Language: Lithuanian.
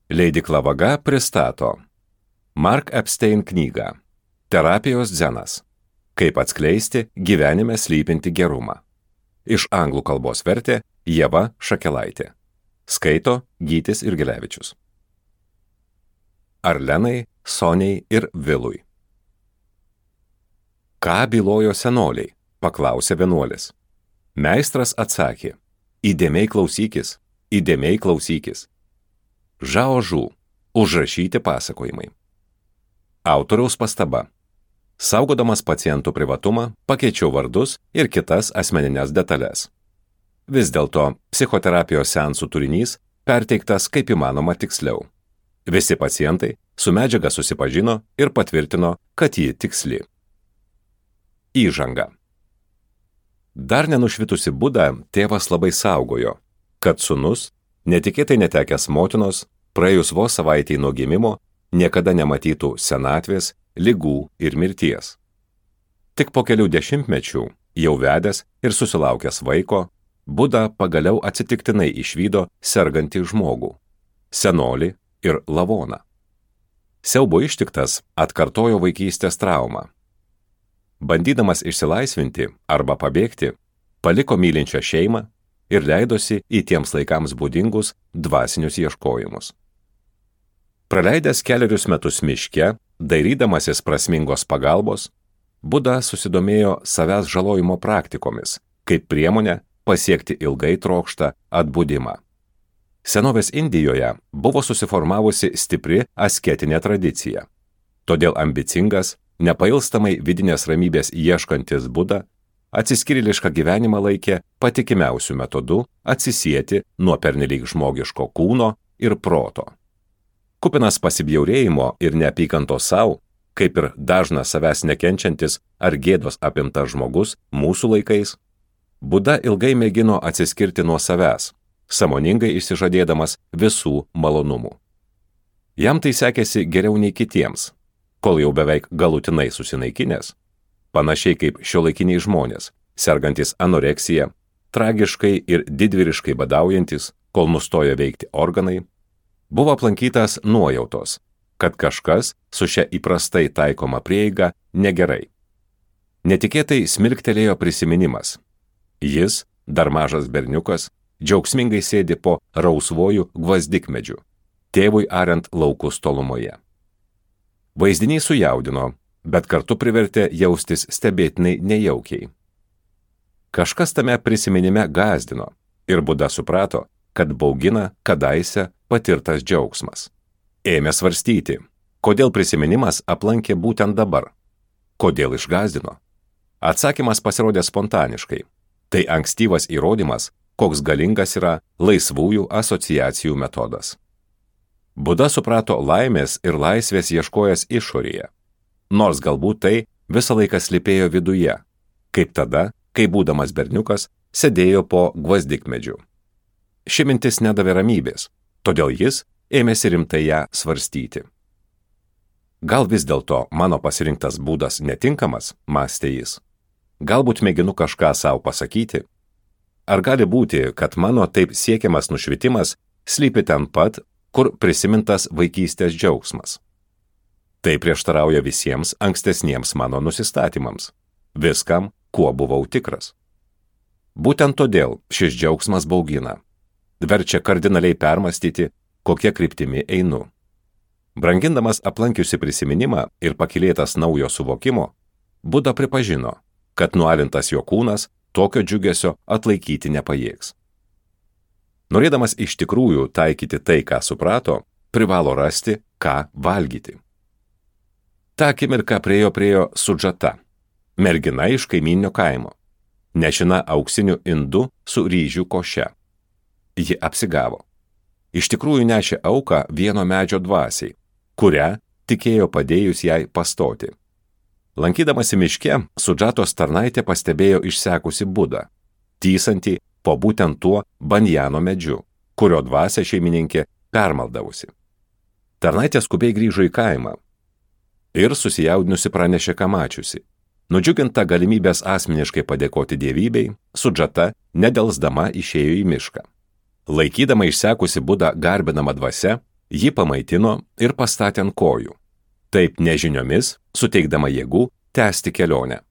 Leidykla Vaga pristato Mark Epstein knygą Terapijos dzenas. Kaip atskleisti gyvenime slypinti gerumą. Iš anglų kalbos vertė Ieva Šakelaitė. Skaito Gytis Irgilevičius. Arlenai, Soniai ir Vilui. Ką bylojo senoliai? Paklausė vienuolis. Meistras atsakė. Įdėmiai klausykis, įdėmiai klausykis. Žao Žu. Užrašyti pasakojimai. Autoriaus pastaba. Saugodamas pacientų privatumą, pakeičiau vardus ir kitas asmeninės detalės. Vis dėlto, psichoterapijos seansų turinys perteiktas kaip įmanoma tiksliau. Visi pacientai su medžiaga susipažino ir patvirtino, kad ji tiksli. Įžanga. Dar nenušvitusi Budą tėvas labai saugojo, kad sūnus, netikėtai netekęs motinos, praėjus vos savaitei nuo gimimo, niekada nematytų senatvės, ligų ir mirties. Tik po kelių dešimtmečių, jau vedęs ir susilaukęs vaiko, Buda pagaliau atsitiktinai išvydo sergantį žmogų, senolį ir lavoną. Siaubo ištiktas atkartojo vaikystės traumą. Bandydamas išsilaisvinti arba pabėgti, paliko mylinčią šeimą ir leidosi į tiems laikams būdingus dvasinius ieškojimus. Praleidęs kelerius metus miške, dairydamasis prasmingos pagalbos, Buda susidomėjo savęs žalojimo praktikomis, kaip priemonė pasiekti ilgai trokštą atbudimą. Senovės Indijoje buvo susiformavusi stipri asketinė tradicija. Todėl ambicingas, nepailstamai vidinės ramybės ieškantis Buda atsiskyrėlišką gyvenimą laikė patikimiausių metodų atsisieti nuo pernelyg žmogiško kūno ir proto. Kupinas pasibjaurėjimo ir neapykantos sau, kaip ir dažnas savęs nekenčiantis ar gėdos apimtas žmogus mūsų laikais, Buda ilgai mėgino atsiskirti nuo savęs, sąmoningai išsižadėdamas visų malonumų. Jam tai sekėsi geriau nei kitiems, kol jau beveik galutinai susinaikinęs, panašiai kaip šiuolaikiniai žmonės, sergantis anoreksija, tragiškai ir didvyriškai badaujantis, kol nustoja veikti organai, buvo aplankytas nuojautos, kad kažkas su šia įprastai taikoma prieiga negerai. Netikėtai smilktelėjo prisiminimas. Jis, dar mažas berniukas, džiaugsmingai sėdi po rausvojų gvazdikmedžių, tėvui ariant laukus tolumoje. Vaizdiniai sujaudino, bet kartu privertė jaustis stebėtinai nejaukiai. Kažkas tame prisiminime gąsdino ir Buda suprato, kad baugina kadaise patirtas džiaugsmas. Ėmė svarstyti, kodėl prisiminimas aplankė būtent dabar, kodėl išgąsdino. Atsakymas pasirodė spontaniškai. Tai ankstyvas įrodymas, koks galingas yra laisvųjų asociacijų metodas. Buda suprato laimės ir laisvės ieškojęs išorėje, nors galbūt tai visą laiką slypėjo viduje, kaip tada, kai būdamas berniukas sėdėjo po gvazdikmedžiu. Ši mintis nedavė ramybės, todėl jis ėmėsi rimtai ją svarstyti. Gal vis dėlto mano pasirinktas būdas netinkamas, mąstė jis. Galbūt mėginu kažką savo pasakyti. Ar gali būti, kad mano taip siekiamas nušvitimas slypi ten pat, kur prisimintas vaikystės džiaugsmas? Tai prieštarauja visiems ankstesniems mano nusistatymams, viskam, kuo buvau tikras. Būtent todėl šis džiaugsmas baugina, verčia kardinaliai permastyti, kokia kryptimi einu. Brangindamas aplankiusi prisiminimą ir pakylėtas naujo suvokimo, Buda pripažino, kad nualintas jo kūnas tokio džiugesio atlaikyti nepajėgs. Norėdamas iš tikrųjų taikyti tai, ką suprato, privalo rasti, ką valgyti. Ta akimirka priejo Sudžata, mergina iš kaimyninio kaimo, nešina auksiniu indu su ryžių koše. Ji apsigavo. Iš tikrųjų nešė auką vieno medžio dvasiai, kurią tikėjo padėjus jai pastoti. Lankydamasi miške, Sudžatos tarnaitė pastebėjo išsekusi Budą, tysantį po būtent tuo banjano medžiu, kurio dvasia šeimininkė permaldavusi. Tarnaitė skubiai grįžo į kaimą ir susijaudinusi pranešė, ką mačiusi. Nudžiuginta galimybės asmeniškai padėkoti dievybei, Sudžata nedelsdama išėjo į mišką. Laikydama išsekusi Budą garbinamą dvasia, jį pamaitino ir pastatė ant kojų, taip nežiniomis suteikdama jėgų tęsti kelionę.